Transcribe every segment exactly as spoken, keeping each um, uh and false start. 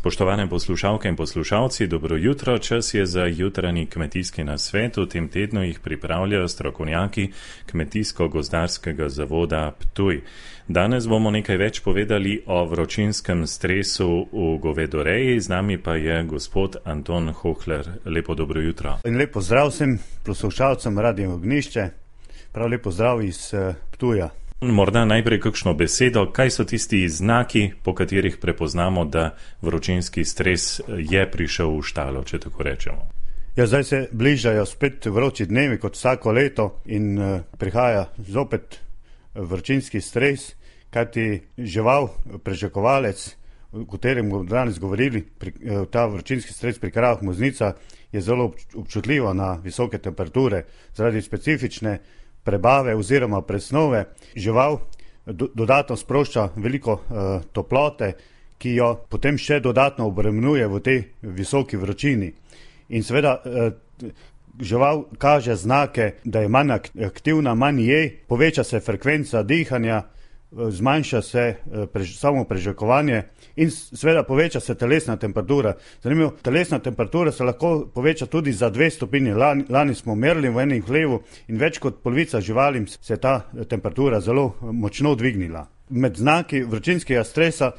Spoštovane poslušalke in poslušalci, dobro jutro. Čas je za jutranji kmetijski nasvet. V tem tednu jih pripravljajo strokovnjaki Kmetijsko-gozdarskega zavoda Ptuj. Danes bomo nekaj več povedali o vročinskem stresu v govedoreji. Z nami pa je gospod Anton Hohler. Lepo dobro jutro. In lepo zdrav vsem poslušalcem Radio Ognjišče. Prav lepo zdrav iz Ptuja. Morda najprej kakšno besedo, kaj so tisti znaki, po katerih prepoznamo, da vročinski stres je prišel v štalo, če tako rečemo. Ja, zdaj se bližajo spet vroči dnevi kot vsako leto in uh, prihaja zopet vročinski stres, kajti žival, prežakovalec, o katerem bomo danes govorili, pri, uh, ta vročinski stres pri kravah muznica je zelo občutljiva na visoke temperature zaradi specifične prebave oziroma presnove. Žival do, dodatno sprošča veliko uh, toplote, ki jo potem še dodatno obremenjuje v tej visoki vročini. In seveda uh, žival kaže znake, da je manj aktivna, manj je, poveča se frekvenca dihanja, zmanjša se uh, prež, samo prežakovanje in seveda poveča se telesna temperatura. Zanimivo, telesna temperatura se lahko poveča tudi za dve stopinji. Lani, lani smo merili v enem hlevu in več kot polovica živalim se ta temperatura zelo močno dvignila. Med znaki vročinskega stresa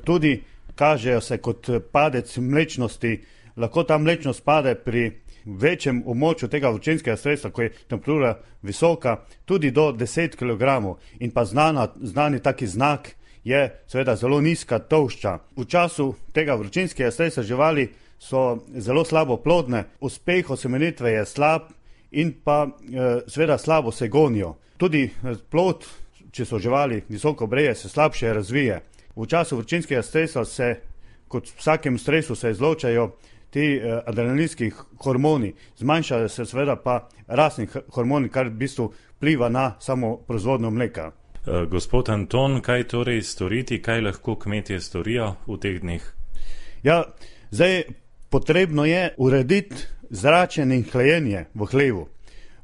tudi kažejo se kot padec mlečnosti. Lahko ta mlečnost pade pri večjem območju tega vročinskega stresa, ko je temperatura visoka, tudi do deset kilogramov. In pa znana, znani taki znak je seveda zelo nizka tolšča. V času tega vročinskega stresa živali so zelo slabo plodne, uspeh osemenitve je slab in pa e, seveda slabo se gonijo. Tudi plod, če so živali visoko breje, se slabše razvije. V času vročinskega stresa se, kot v vsakem stresu, se izločajo ti e, adrenalinski hormoni, zmanjšajo se seveda pa rastni hormoni, kar v bistvu vpliva na samo proizvodnjo mleka. Gospod Anton, kaj torej storiti, kaj lahko kmetje storijo v teh dneh? Ja, zdaj potrebno je urediti zračenje in hlajenje v hlevu.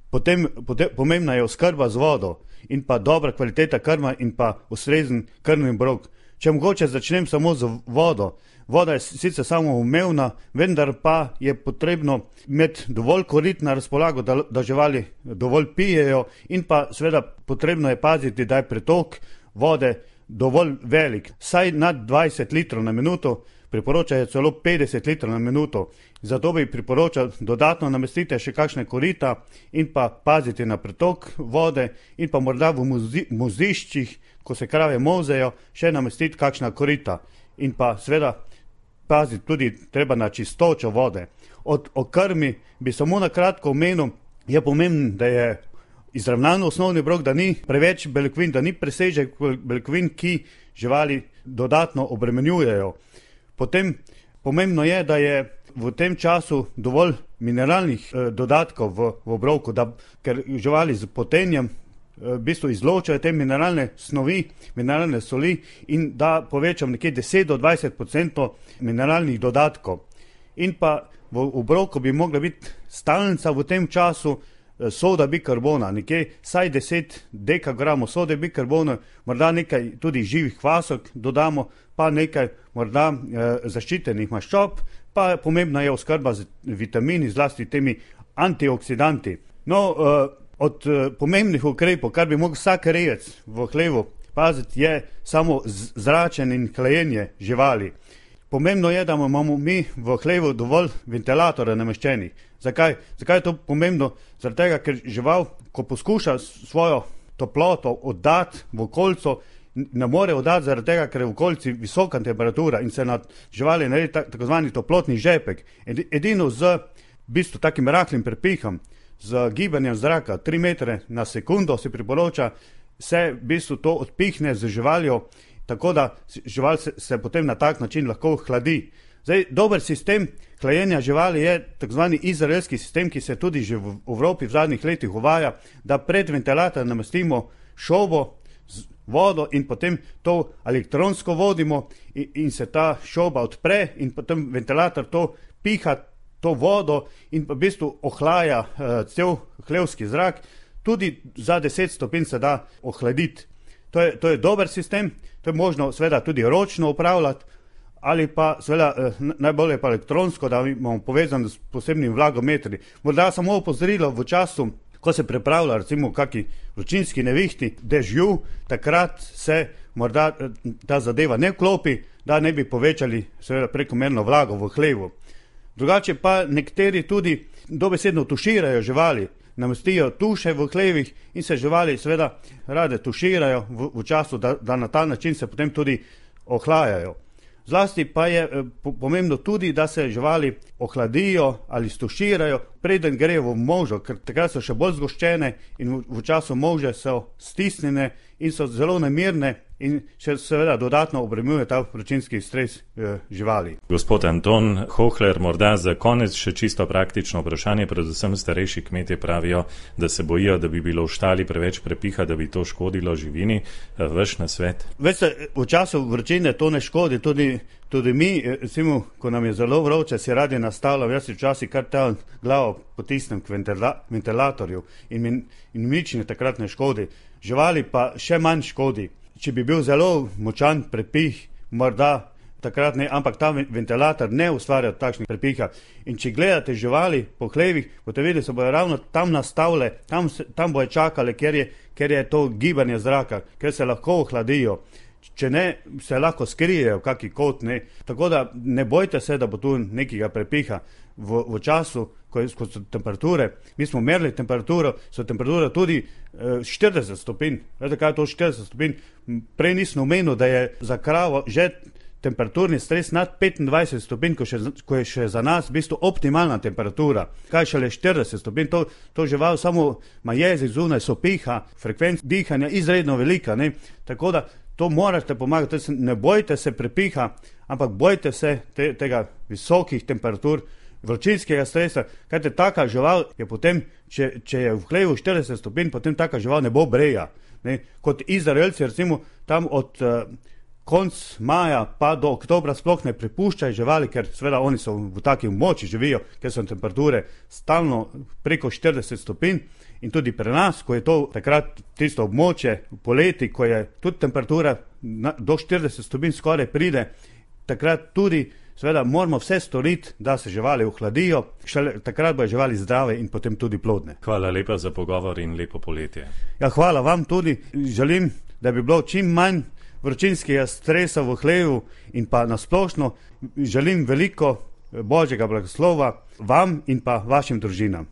Potem, potem pomembna je oskrba z vodo in pa dobra kvaliteta krma in pa ustrezen krmni obrok. Če mogoče začnem samo z vodo. Voda je sicer samoumevna, vendar pa je potrebno imeti dovolj korit na razpolago, da, da živali dovolj pijejo in pa seveda potrebno je paziti, da je pretok vode dovolj velik. Saj nad dvajset litrov na minuto, priporočajo celo petdeset litrov na minuto. Zato bi priporočal dodatno namestiti še kakšne korita in pa paziti na pretok vode in pa morda v moziščih, ko se krave mozejo, še namestiti kakšna korita. In pa seveda paziti tudi treba na čistočo vode. Od o krmi bi samo na kratko omenil, je pomembno, da je izravnan osnovni obrok, da ni preveč beljakovin, da ni presežek beljakovin, ki živali dodatno obremenjujejo. Potem pomembno je, da je v tem času dovolj mineralnih eh, dodatkov v, v obroku, da, ker živali z potenjem v bistvu izločajo te mineralne snovi, mineralne soli in da povečam nekje deset do dvajset procentov mineralnih dodatkov. In pa v obroku bi mogla biti stalnica v tem času soda bikarbona, nekje saj deset dekagramov sode bikarbona, morda nekaj tudi živih kvasok dodamo, pa nekaj morda eh, zaščitenih maščob, pa pomembna je oskrba z vitamini, zlasti temi antioksidanti. No, eh, Od uh, pomembnih ukrepov, kar bi mogel vsak rejec v hlevu paziti, je samo zračenje in hlajenje živali. Pomembno je, da imamo mi v hlevu dovolj ventilatorja nameščenih. Zakaj? Zakaj je to pomembno? Zaradi tega, ker žival, ko poskuša svojo toploto oddati v okolico, ne more oddati zaradi tega, ker je v okolici visoka temperatura in se nad živali naredi tako zvani toplotni žepek. Edino z v bistvu takim rahlim prepihom, z gibanjem zraka tri metre na sekundo se priporoča, se v bistvu to odpihne z živaljo, tako da žival se, se potem na tak način lahko hladi. Zdaj, dober sistem hlajenja živali je takzvani izraelski sistem, ki se tudi že v Evropi v zadnjih letih uvaja, da pred ventilator namestimo šobo z vodo in potem to elektronsko vodimo in, in se ta šoba odpre in potem ventilator to piha to vodo in v bistvu ohlaja uh, cel hlevski zrak, tudi za deset stopinj se da ohladiti. To je, to je dober sistem, to je možno seveda tudi ročno upravljati, ali pa seveda najbolje pa elektronsko, da imamo povezano s posebnimi vlagometri. Morda samo opozorilo v času, ko se pripravlja recimo kaki vročinski nevihti, dežju, takrat se morda ta zadeva ne vklopi, da ne bi povečali seveda prekomerno vlago v hlevu. Drugače pa nekateri tudi dobesedno tuširajo živali, namestijo tuše v hlevih in se živali seveda rade tuširajo v, v času, da, da na ta način se potem tudi ohlajajo. Zlasti pa je pomembno tudi, da se živali ohladijo ali stuširajo, preden grejo v molžo, ker takrat so še bolj zgoščene in v, v času molže so stisnjene in so zelo nemirne in še seveda dodatno obremenjuje ta vročinski stres eh, živali. Gospod Anton Hohler, morda za konec še čisto praktično vprašanje, predvsem starejši kmetje pravijo, da se bojijo, da bi bilo v štali preveč prepiha, da bi to škodilo živini. Vaš nasvet? Veste, v času vročine to ne škodi, tudi, tudi mi, recimo, ko nam je zelo vroče, si radi nastavljam, jaz si včasih kar ta glavo potisnem k ventila, ventilatorju in mi, in mi nič ne takrat ne škodi. Živali pa še manj škodi. Če bi bil zelo močan prepih, morda takrat ne, ampak ta ventilator ne ustvarja takšnih prepiha. In če gledate živali po hlevih, boste videli, se bojo ravno tam nastavile, tam, tam bojo čakale, ker je, ker je to gibanje zraka, ker se lahko ohladijo. Če ne, se lahko skrijejo v kaki kot, ne. Tako da ne bojte se, da bo tu nekega prepiha. V, v času, ko, ko so temperature, mi smo merili temperaturo, so temperature tudi eh, štirideset stopinj. Vete, kaj je to štirideset stopinj? Prej nisem omenil, da je za kravo že temperaturni stres nad petindvajset stopinj, ko, še, ko je še za nas v bistvu optimalna temperatura. Kaj šele štirideset stopinj, to, to žival samo ima jezik zunaj, so piha, frekvenca dihanja izredno velika, ne? Tako da to morate pomagati, ne bojte se prepiha, ampak bojte se te, tega visokih temperatur, vročinskega stresa, kajte taka žival je potem, če, če je v hlevu štirideset stopinj, potem taka žival ne bo breja. Ne? Kot Izraelci, recimo, tam od uh, konc maja pa do oktobra sploh ne prepuščajo živali, ker seveda oni so v taki moči živijo, ker so temperature stalno preko štirideset stopinj. In tudi pri nas, ko je to takrat tisto območje poleti, ko je tudi temperatura na, do štirideset stopinj skoraj pride, takrat tudi seveda moramo vse storiti, da se živali ohladijo, šele takrat bojo živali zdrave in potem tudi plodne. Hvala lepa za pogovor in lepo poletje. Ja, hvala vam tudi. Želim, da bi bilo čim manj vročinskega stresa v hlevu in pa nasplošno želim veliko Božjega blagoslova vam in pa vašim družinam.